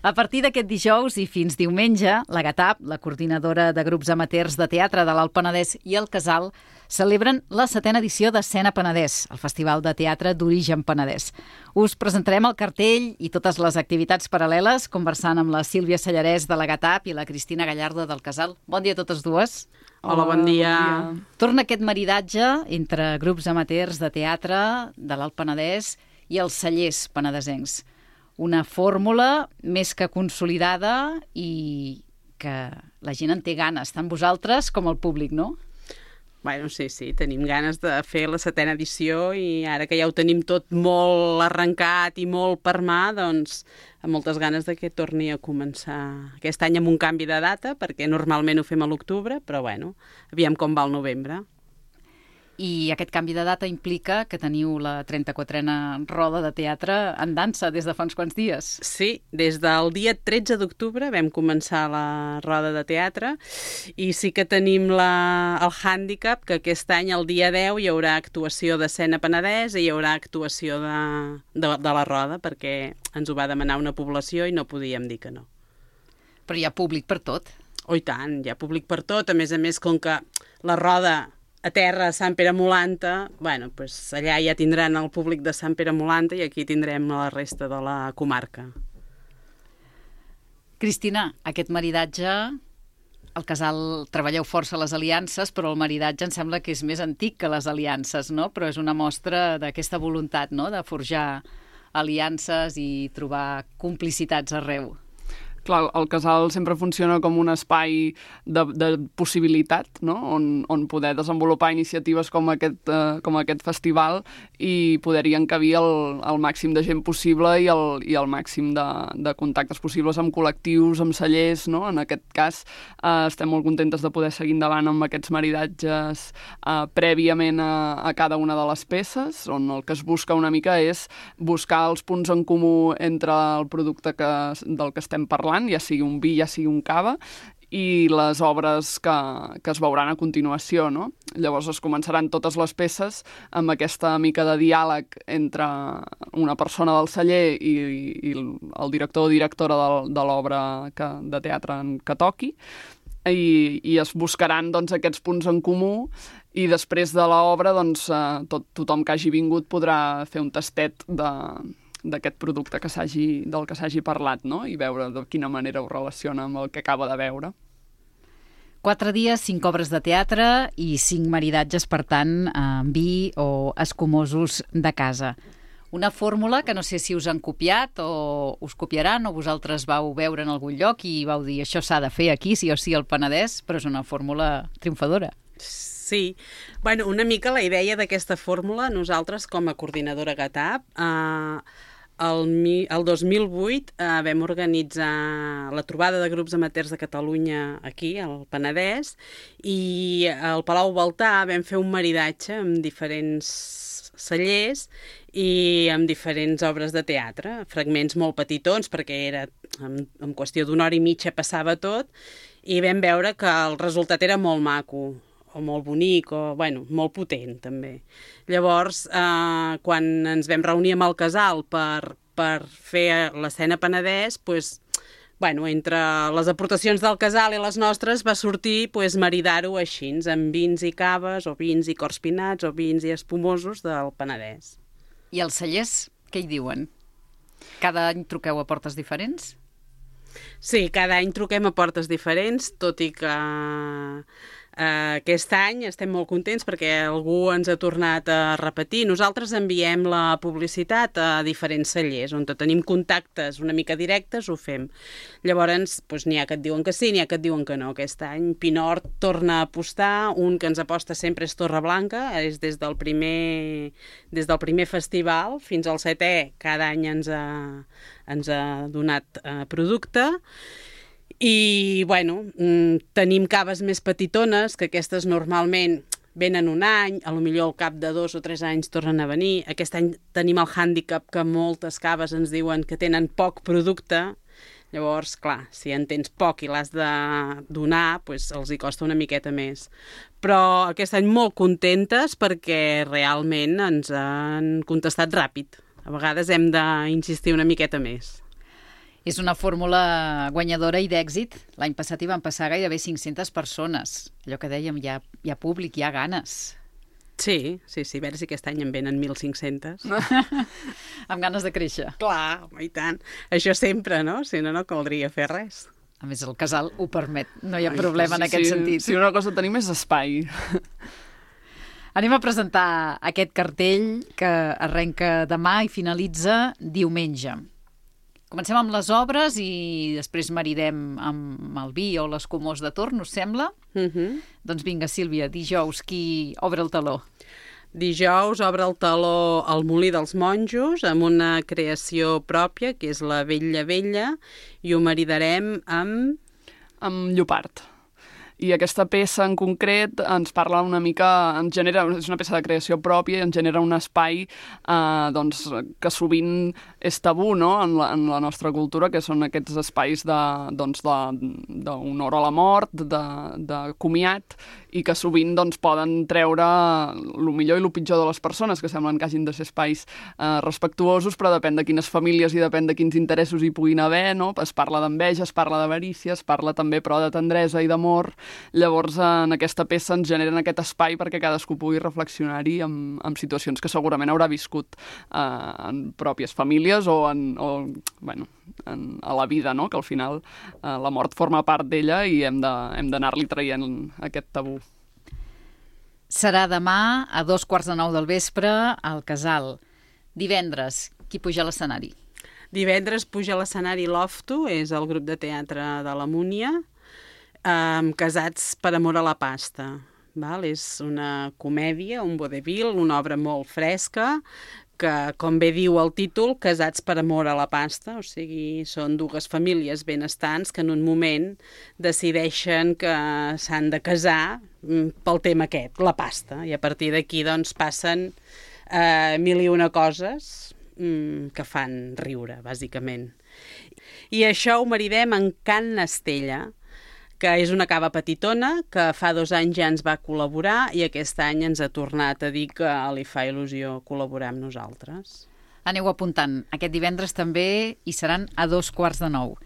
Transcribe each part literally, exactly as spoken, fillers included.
A partir d'aquest dijous i fins diumenge, la GATAP, la coordinadora de grups amateurs de teatre de l'Alt Penedès i el Casal, celebren la setena edició d'Escena Penedès, el festival de teatre d'origen penedès. Us presentarem el cartell i totes les activitats paral·leles, conversant amb la Sílvia Sallarès de la GATAP i la Cristina Gallardo del Casal. Bon dia a totes dues. Hola, bon dia. Bon dia. Torna aquest maridatge entre grups amateurs de teatre de l'Alt Penedès i els cellers penedesencs. Una fórmula més que consolidada i que la gent en té ganes, tant vosaltres com el públic, no? Bueno, sí, sí, tenim ganes de fer la setena edició i ara que ja ho tenim tot molt arrencat i molt per mà, doncs amb moltes ganes de que torni a començar aquest any amb un canvi de data, perquè normalment ho fem a l'octubre, però bueno, aviam com va el novembre. I aquest canvi de data implica que teniu la trenta-quatrena roda de teatre en dansa des de fa uns quants dies. Sí, des del dia tretze d'octubre vam començar la roda de teatre i sí que tenim la, el hàndicap que aquest any, el dia deu, hi haurà actuació d'Escena Penedès i hi haurà actuació de, de, de la roda, perquè ens ho va demanar una població i no podíem dir que no. Però hi ha públic per tot. Oh, i tant, hi ha públic per tot. A més a més, com que la roda a terra, a Sant Pere Molanta, bueno, pues allà ja tindran el públic de Sant Pere Molanta i aquí tindrem la resta de la comarca. Cristina, aquest maridatge, al Casal treballeu força les aliances, però el maridatge em sembla que és més antic que les aliances, no? Però és una mostra d'aquesta voluntat, no?, de forjar aliances i trobar complicitats arreu. Clar, el Casal sempre funciona com un espai de, de possibilitat, no? on, on poder desenvolupar iniciatives com aquest, eh, com aquest festival i poder-hi encabir el, el màxim de gent possible i el, i el màxim de, de contactes possibles amb col·lectius, amb cellers, no? En aquest cas eh, estem molt contentes de poder seguir endavant amb aquests maridatges eh, prèviament a, a cada una de les peces, on el que es busca una mica és buscar els punts en comú entre el producte que, del que estem parlant, ja sigui un vi, ja sigui un cava, i les obres que, que es veuran a continuació, no? Llavors es començaran totes les peces amb aquesta mica de diàleg entre una persona del celler i, i el director o directora de, de l'obra que, de teatre que toqui, i, i es buscaran doncs, aquests punts en comú i després de l'obra doncs, tot, tothom que hagi vingut podrà fer un tastet de d'aquest producte que s'hagi, del que s'hagi parlat, no? I veure de quina manera ho relaciona amb el que acaba de veure. Quatre dies, cinc obres de teatre i cinc maridatges, per tant, amb vi o escumosos de casa. Una fórmula que no sé si us han copiat o us copiaran o vosaltres vau veure en algun lloc i vau dir això s'ha de fer aquí, sí o sí al Penedès, però és una fórmula triomfadora. Sí, bueno, una mica la idea d'aquesta fórmula, nosaltres com a coordinadora GATAP, eh, el, el dos mil vuit eh, vam organitzar la trobada de grups amateurs de Catalunya aquí, al Penedès, i al Palau Baltà vam fer un maridatge amb diferents cellers i amb diferents obres de teatre, fragments molt petitons, perquè era en, en qüestió d'una hora i mitja passava tot, i vam veure que el resultat era molt maco, o molt bonic, o, bueno, molt potent, també. Llavors, eh, quan ens vam reunir amb el Casal per, per fer l'Escena Penedès, pues, bueno, entre les aportacions del Casal i les nostres va sortir pues, maridar-ho així, amb vins i caves, o vins i corspinats, o vins i espumosos del Penedès. I els cellers, què hi diuen? Cada any truqueu a portes diferents? Sí, cada any truquem a portes diferents, tot i que Uh, aquest any estem molt contents perquè algú ens ha tornat a repetir. Nosaltres enviem la publicitat a diferents cellers, on tenim contactes una mica directes, ho fem. Llavors, doncs, n'hi ha que et diuen que sí, n'hi ha que et diuen que no. Aquest any Pinort torna a apostar, un que ens aposta sempre és Torreblanca, és des del primer, des del primer festival fins al setè, cada any ens ha, ens ha donat uh, producte. I, bueno, tenim caves més petitones, que aquestes normalment venen un any, a lo millor al cap de dos o tres anys tornen a venir. Aquest any tenim el hàndicap que moltes caves ens diuen que tenen poc producte. Llavors, clar, si en tens poc i l'has de donar, doncs els hi costa una miqueta més. Però aquest any molt contentes perquè realment ens han contestat ràpid. A vegades hem d'insistir una miqueta més. És una fórmula guanyadora i d'èxit. L'any passat hi van passar gairebé cinc-centes persones. Allò que dèiem, hi ha, hi ha públic, hi ha ganes. Sí, sí, sí, a veure si aquest any en venen mil cinc-cents. Amb ganes de créixer. Clar, home, i tant. Això sempre, no? Si no, no caldria fer res. A més, el casal ho permet. No hi ha problema en aquest sí, sentit. Si una cosa tenim és espai. Anem a presentar aquest cartell que arrenca demà i finalitza diumenge. Comencem amb les obres i després maridem amb el vi o l'escumós de torn, us sembla? Uh-huh. Doncs vinga, Sílvia, dijous, qui obre el taló? Dijous obre el taló el Molí dels Monjos amb una creació pròpia, que és la Vella Vella, i ho maridarem amb... Amb Llopart. I aquesta peça en concret ens parla una mica, ens genera, és una peça de creació pròpia i ens genera un espai eh, doncs, que sovint és tabú, no?, en la, en la nostra cultura, que són aquests espais de, doncs, d'honor a la mort, de, de comiat, i que sovint doncs, poden treure el millor i el pitjor de les persones, que semblen que hagin de ser espais eh, respectuosos, però depèn de quines famílies i depèn de quins interessos hi puguin haver, no? Es parla d'enveja, es parla d'avarícia, es parla també però de tendresa i d'amor. Llavors, en aquesta peça ens generen aquest espai perquè cadascú pugui reflexionar-hi amb, amb situacions que segurament haurà viscut eh, en pròpies famílies o, en, o bueno, en, a la vida, no? Que al final eh, la mort forma part d'ella i hem de, hem d'anar-li traient aquest tabú. Serà demà a dos quarts de nou del vespre al Casal. Divendres, qui puja a l'escenari? Divendres puja a l'escenari Lofto, és el grup de teatre de la Múnia, amb Casats per amor a la pasta. Val? És una comèdia, un vodevil, una obra molt fresca, que, com bé diu el títol, Casats per amor a la pasta, o sigui, són dues famílies benestants que en un moment decideixen que s'han de casar pel tema aquest, la pasta, i a partir d'aquí doncs passen eh, mil i una coses mm, que fan riure, bàsicament. I això ho maridem en Can Estella, que és una cava petitona, que fa dos anys ja ens va col·laborar i aquest any ens ha tornat a dir que li fa il·lusió col·laborar amb nosaltres. Aneu apuntant. Aquest divendres també hi seran a dos quarts de nou.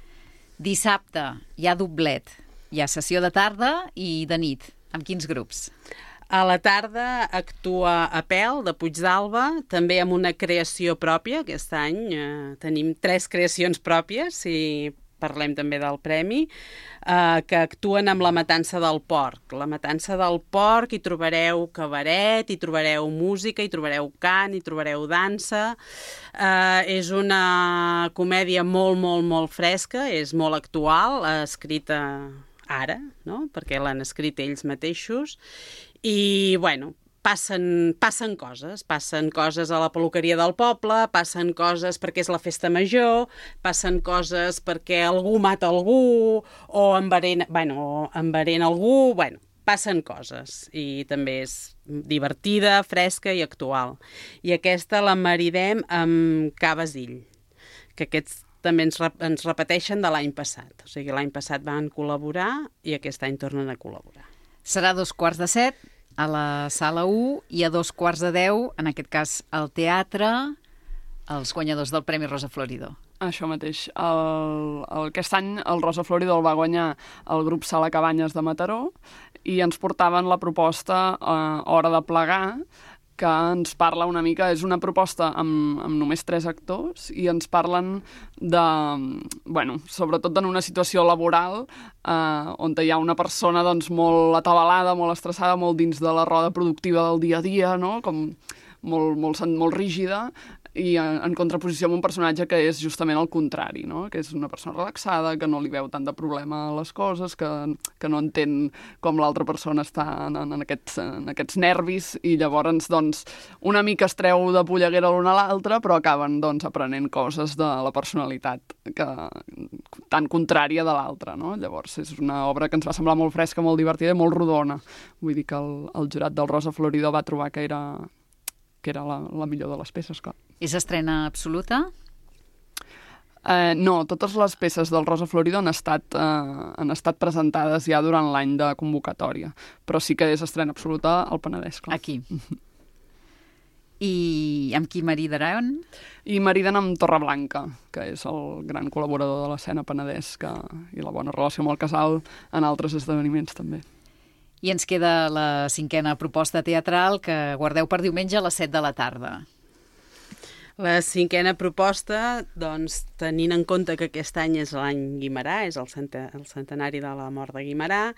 Dissabte hi ha doblet. Hi ha sessió de tarda i de nit. Amb quins grups? A la tarda actua Apel, de Puigdàlber, també amb una creació pròpia. Aquest any eh, tenim tres creacions pròpies, i parlem també del premi, eh, que actuen amb La matança del porc. La matança del porc hi trobareu cabaret, hi trobareu música, hi trobareu cant, hi trobareu dansa. Eh, és una comèdia molt, molt, molt fresca, és molt actual, escrita ara, no?, perquè l'han escrit ells mateixos. I, bueno, Passen, passen coses, passen coses a la peluqueria del poble, passen coses perquè és la festa major, passen coses perquè algú mata algú, o enverena, bueno, enverena algú, bueno, passen coses. I també és divertida, fresca i actual. I aquesta la maridem amb Ca Basil, que aquests també ens, rep ens repeteixen de l'any passat. O sigui, l'any passat van col·laborar i aquest any tornen a col·laborar. Serà a dos quarts de set a la sala u i a dos quarts de deu, en aquest cas al teatre, els guanyadors del Premi Rosa Florido. Això mateix. El, el, aquest any el Rosa Florido el va guanyar el grup Sala Cabanyes de Mataró i ens portaven la proposta eh, Hora de plegar, que ens parla una mica, és una proposta amb, amb només tres actors i ens parlen de, bueno, sobretot en una situació laboral eh, on hi ha una persona doncs, molt atabalada, molt estressada, molt dins de la roda productiva del dia a dia, no?, com molt, molt, molt rígida, i en, en contraposició amb un personatge que és justament el contrari, no?, que és una persona relaxada, que no li veu tant de problema a les coses, que, que no entén com l'altra persona està en, en, aquests, en aquests nervis, i llavors doncs, una mica es treu de polleguera l'un a l'altre, però acaben doncs, aprenent coses de la personalitat que, tan contrària de l'altra, no? Llavors és una obra que ens va semblar molt fresca, molt divertida i molt rodona. Vull dir que el, el jurat del Rosa Florido va trobar que era... que era la, la millor de les peces, clar. És estrena absoluta? Eh, no, totes les peces del Rosa Florido han estat, eh, han estat presentades ja durant l'any de convocatòria, però sí que és estrena absoluta al Penedès, clar. Aquí. I amb qui maridaran? I mariden amb Torreblanca, que és el gran col·laborador de l'escena Penedès, que, i la bona relació amb el casal en altres esdeveniments també. I ens queda la cinquena proposta teatral que guardeu per diumenge a les set de la tarda. La cinquena proposta, doncs, tenint en compte que aquest any és l'any Guimerà, és el, cent el centenari de la mort de Guimerà,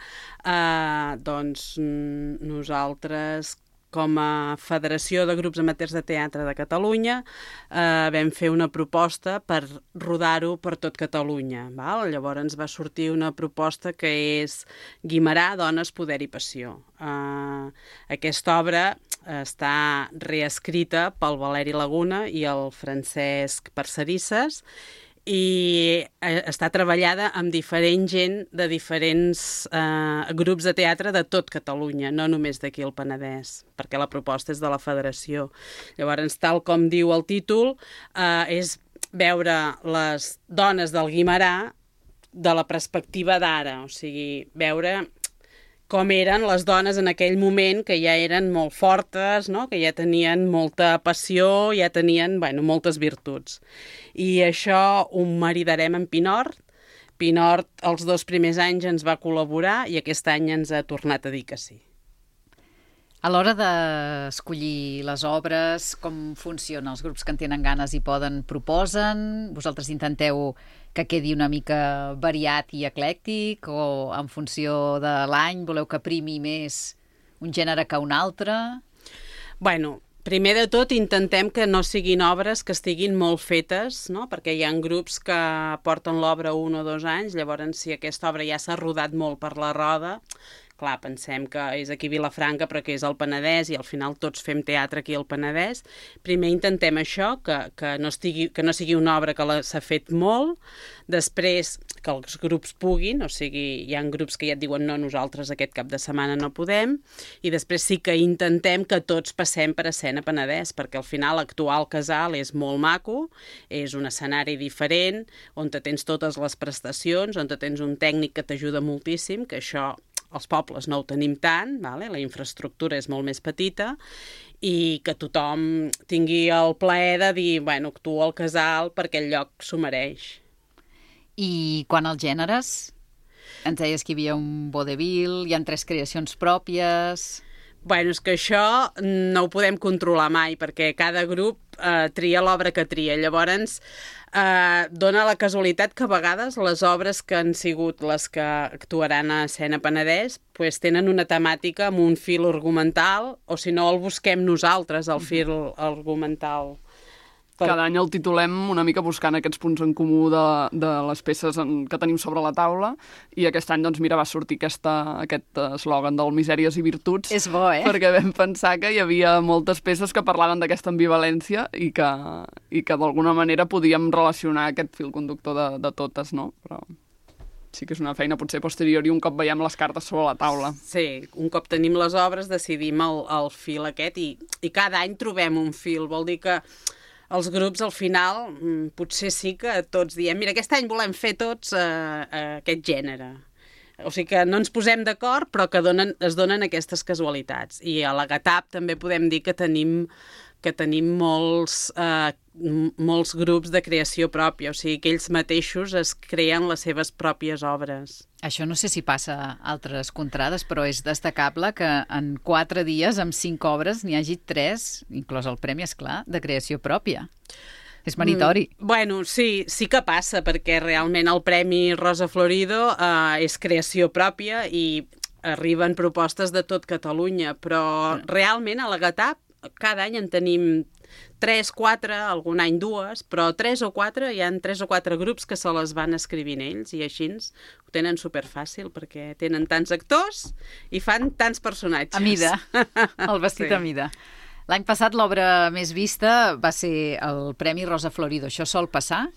eh, doncs nosaltres, com a Federació de Grups Amateurs de Teatre de Catalunya, eh, vam fer una proposta per rodar-ho per tot Catalunya. Val? Llavors ens va sortir una proposta que és Guimerà, dones, poder i passió. Eh, aquesta obra està reescrita pel Valeri Laguna i el Francesc Parcerisses i està treballada amb diferent gent de diferents eh, grups de teatre de tot Catalunya, no només d'aquí al Penedès, perquè la proposta és de la Federació. Llavors, tal com diu el títol, eh, és veure les dones del Guimerà de la perspectiva d'ara, o sigui, veure com eren les dones en aquell moment, que ja eren molt fortes, no? Que ja tenien molta passió, ja tenien, bueno, moltes virtuts. I això ho maridarem amb Pinort. Pinort els dos primers anys ens va col·laborar i aquest any ens ha tornat a dir que sí. A l'hora d'escollir les obres, com funciona? Els grups que en tenen ganes i poden proposen? Vosaltres intenteu que quedi una mica variat i eclèctic o en funció de l'any voleu que primi més un gènere que un altre? Bueno, primer de tot intentem que no siguin obres que estiguin molt fetes, no? Perquè hi ha grups que porten l'obra un o dos anys, llavors si aquesta obra ja s'ha rodat molt per la roda, clar, pensem que és aquí a Vilafranca però que és al Penedès i al final tots fem teatre aquí al Penedès. Primer intentem això, que, que, no, estigui, que no sigui una obra que s'ha fet molt, després que els grups puguin, o sigui, hi ha grups que ja et diuen no, nosaltres aquest cap de setmana no podem, i després sí que intentem que tots passem per escena Penedès, perquè al final l'actual casal és molt maco, és un escenari diferent, on te tens totes les prestacions, on te tens un tècnic que t'ajuda moltíssim, que això els pobles no ho tenim tant, vale? La infraestructura és molt més petita i que tothom tingui el plaer de dir, bueno, actuo al casal perquè el lloc s'ho mereix. I quan als gèneres? Ens deies que hi havia un vodevil, hi ha tres creacions pròpies... Bueno, és que això no ho podem controlar mai, perquè cada grup eh, tria l'obra que tria. Llavors, eh, dona la casualitat que a vegades les obres que han sigut les que actuaran a Escena Penedès pues, tenen una temàtica amb un fil argumental, o si no el busquem nosaltres, el fil argumental. Per... Cada any el titulem una mica buscant aquests punts en comú de, de les peces en, que tenim sobre la taula, i aquest any, doncs, mira, va sortir aquesta, aquest eslògan del misèries i virtuts. És bo, eh? Perquè vam pensar que hi havia moltes peces que parlaven d'aquesta ambivalència i que, i que d'alguna manera podíem relacionar aquest fil conductor de, de totes, no? Però sí que és una feina potser posterior i un cop veiem les cartes sobre la taula. Sí, un cop tenim les obres decidim el, el fil aquest i, i cada any trobem un fil. Vol dir que els grups, al final, potser sí que tots diem mira, aquest any volem fer tots eh, eh, aquest gènere. O sigui que no ens posem d'acord, però que donen, es donen aquestes casualitats. I a la GATAP també podem dir que tenim, que tenim molts, eh, molts grups de creació pròpia, o sigui que ells mateixos es creen les seves pròpies obres. Això no sé si passa a altres contrades, però és destacable que en quatre dies, amb cinc obres, n'hi hagi tres, inclòs el premi, esclar, de creació pròpia. És meritori. Mm, bueno, sí, sí que passa, perquè realment el Premi Rosa Florido eh, és creació pròpia i arriben propostes de tot Catalunya, però realment a la GATAP cada any en tenim tres, quatre, algun any dues, però tres o quatre, hi ha tres o quatre grups que se les van escrivint ells i així ho tenen superfàcil perquè tenen tants actors i fan tants personatges. A mida, el vestit sí. A mida. L'any passat l'obra més vista va ser el Premi Rosa Florido. Això sol passar?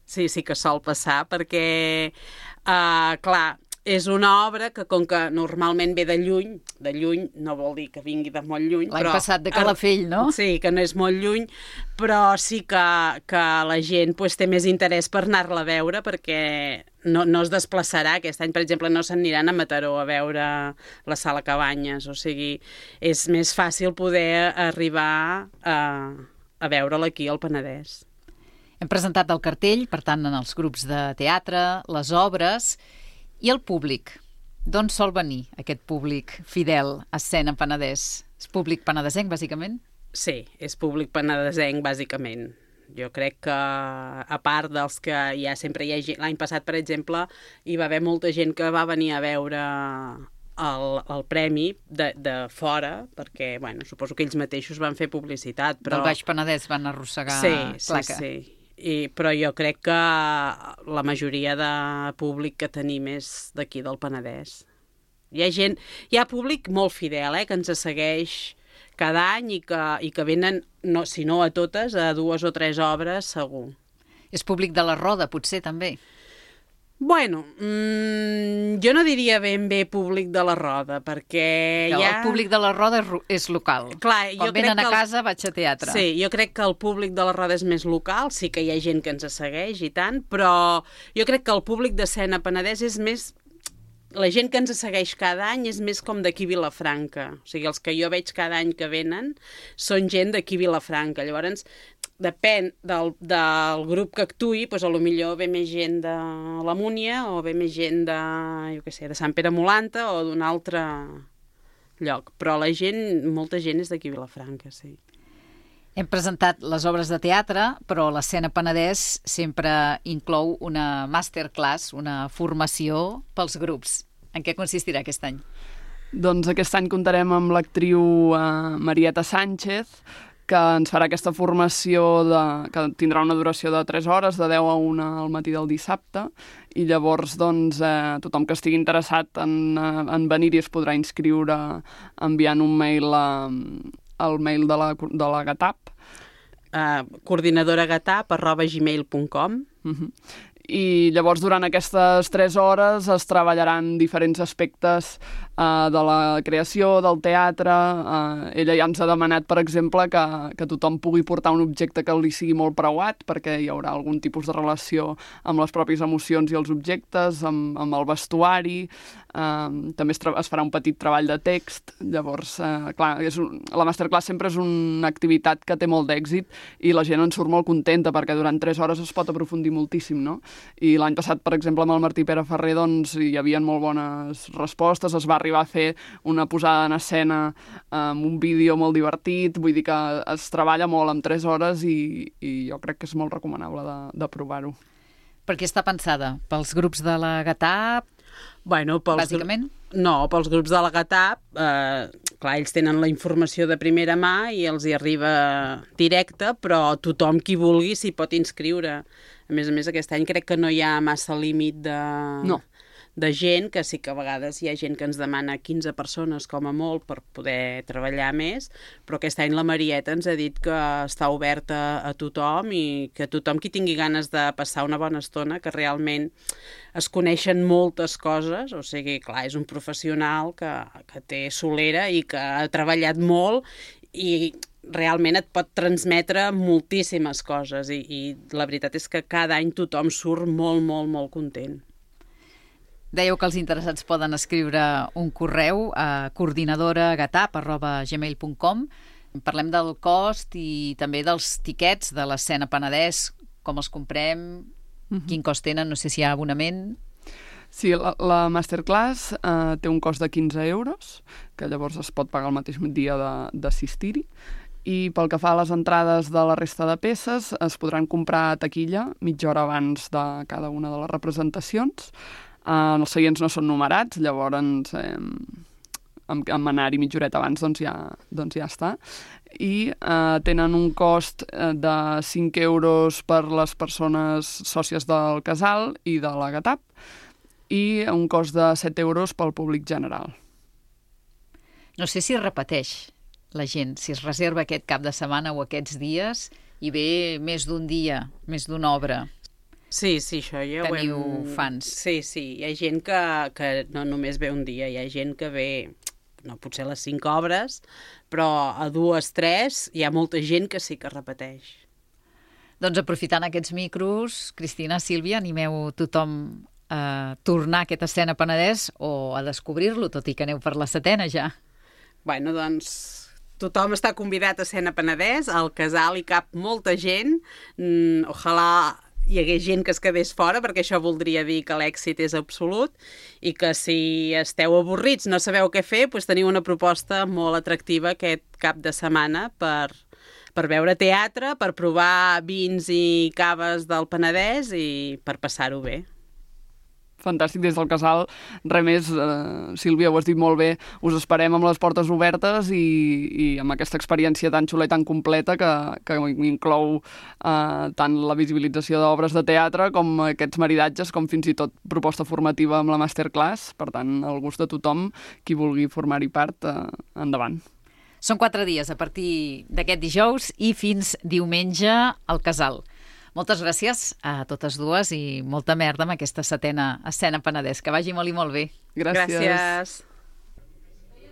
Sí, sí que sol passar perquè, uh, clar, és una obra que, com que normalment ve de lluny, de lluny no vol dir que vingui de molt lluny. L'any passat de Calafell, no? Sí, que no és molt lluny, però sí que, que la gent pues, té més interès per anar-la a veure perquè no, no es desplaçarà. Aquest any, per exemple, no s'aniran a Mataró a veure la Sala Cabanyes. O sigui, és més fàcil poder arribar a, a veure'l aquí al Penedès. Hem presentat el cartell, per tant, en els grups de teatre, les obres i el públic. D'on sol venir aquest públic fidel a Escena Penedès? És públic penedesenc, bàsicament? Sí, és públic penedesenc, bàsicament. Jo crec que, a part dels que ja sempre hi ha gent... L'any passat, per exemple, hi va haver molta gent que va venir a veure el, el premi de, de fora, perquè, bueno, suposo que ells mateixos van fer publicitat, però... Del Baix Penedès van arrossegar sí, placa. Sí, sí. I, però jo crec que la majoria de públic que tenim és d'aquí del Penedès. Hi ha gent... Hi ha públic molt fidel, eh, que ens segueix cada any i que, i que venen, no, si no a totes, a dues o tres obres, segur. És públic de la Roda, potser, també? Bueno, mmm, jo no diria ben bé públic de la Roda, perquè que ja... El públic de la Roda és local. Clar, Quan jo venen crec que a el... casa vaig a teatre. Sí, jo crec que el públic de la Roda és més local, sí que hi ha gent que ens segueix i tant, però jo crec que el públic d'Escena Penedès és més... La gent que ens segueix cada any és més com d'aquí Vilafranca. O sigui, els que jo veig cada any que venen són gent d'aquí Vilafranca. Llavors, depèn del, del grup que actuï, doncs potser ve més gent de la Múnia o ve més gent de, jo què sé, de Sant Pere Molanta o d'un altre lloc. Però la gent, molta gent és d'aquí Vilafranca, sí. Hem presentat les obres de teatre, però l'Escena Penedès sempre inclou una masterclass, una formació pels grups. En què consistirà aquest any? Doncs aquest any comptarem amb l'actriu eh, Marieta Sánchez, que ens farà aquesta formació de, que tindrà una duració de tres hores, de deu a una al matí del dissabte, i llavors doncs, eh, tothom que estigui interessat en, en venir-hi es podrà inscriure enviant un mail a, al mail de la, de la GATAP. Uh, coordinadoragatap arroba gmail punt com. Uh-huh. I llavors durant aquestes tres hores es treballaran diferents aspectes uh, de la creació, del teatre. Uh, ella ja ens ha demanat, per exemple, que, que tothom pugui portar un objecte que li sigui molt preuat, perquè hi haurà algun tipus de relació amb les pròpies emocions i els objectes, amb, amb el vestuari. Uh, també es, es farà un petit treball de text. Llavors, uh, clar, és un, la masterclass sempre és una activitat que té molt d'èxit i la gent en surt molt contenta perquè durant tres hores es pot aprofundir moltíssim, no? I l'any passat, per exemple, amb el Martí Pere Ferrer, doncs, hi havia molt bones respostes, es va arribar a fer una posada en escena amb un vídeo molt divertit, vull dir que es treballa molt en tres hores i, i jo crec que és molt recomanable de, de provar-ho. Per què està pensada? Pels grups de la GATAP? Bueno, pels bàsicament? No, pels grups de la GATAP, eh, clar, ells tenen la informació de primera mà i els hi arriba directa, però tothom qui vulgui s'hi pot inscriure. A més a més, aquest any crec que no hi ha massa límit de, no. de gent, que sí que a vegades hi ha gent que ens demana quinze persones com a molt per poder treballar més, però aquest any la Marieta ens ha dit que està oberta a tothom i que tothom qui tingui ganes de passar una bona estona, que realment es coneixen moltes coses, o sigui, clar, és un professional que, que té solera i que ha treballat molt i realment et pot transmetre moltíssimes coses i, i la veritat és que cada any tothom surt molt, molt, molt content. Dèieu que els interessats poden escriure un correu a coordinadoragatap arroba gmail punt com. Parlem del cost i també dels tiquets de l'Escena Penedès, com els comprem, mm-hmm. quin cost tenen, no sé si hi ha abonament. Sí, la, la masterclass eh, té un cost de quinze euros, que llavors es pot pagar el mateix dia d'assistir-hi. I pel que fa a les entrades de la resta de peces, es podran comprar a taquilla mitja hora abans de cada una de les representacions. Eh, els seients no són numerats, llavors eh, amb, amb anar-hi mitja horeta abans doncs ja, doncs ja està. I eh, tenen un cost de cinc euros per les persones sòcies del casal i de la GATAP i un cost de set euros pel públic general. No sé si repeteix la gent, si es reserva aquest cap de setmana o aquests dies i ve més d'un dia, més d'una obra. Sí, sí, això ja ho hem... Teniu fans. Sí, sí, hi ha gent que, que no només ve un dia, hi ha gent que ve, no potser les cinc obres, però a dues, tres, hi ha molta gent que sí que repeteix. Doncs aprofitant aquests micros, Cristina, Sílvia, animeu tothom a tornar a aquesta escena Penedès o a descobrir-lo, tot i que aneu per la setena ja? Bueno, doncs tothom està convidat a Escena Penedès, al casal hi cap molta gent, mm, ojalà hi hagués gent que es quedés fora, perquè això voldria dir que l'èxit és absolut, i que si esteu avorrits, no sabeu què fer, doncs teniu una proposta molt atractiva aquest cap de setmana per, per veure teatre, per provar vins i caves del Penedès i per passar-ho bé. Fantàstic, des del casal. Res més, eh, Sílvia, ho has dit molt bé, us esperem amb les portes obertes i, i amb aquesta experiència tan xula i tan completa que, que inclou eh, tant la visibilització d'obres de teatre com aquests maridatges, com fins i tot proposta formativa amb la masterclass. Per tant, el gust de tothom, qui vulgui formar-hi part, eh, endavant. Són quatre dies a partir d'aquest dijous i fins diumenge al casal. Moltes gràcies a totes dues i molta merda amb aquesta setena Escena Penedès. Que vagi molt i molt bé. Gràcies. Gràcies.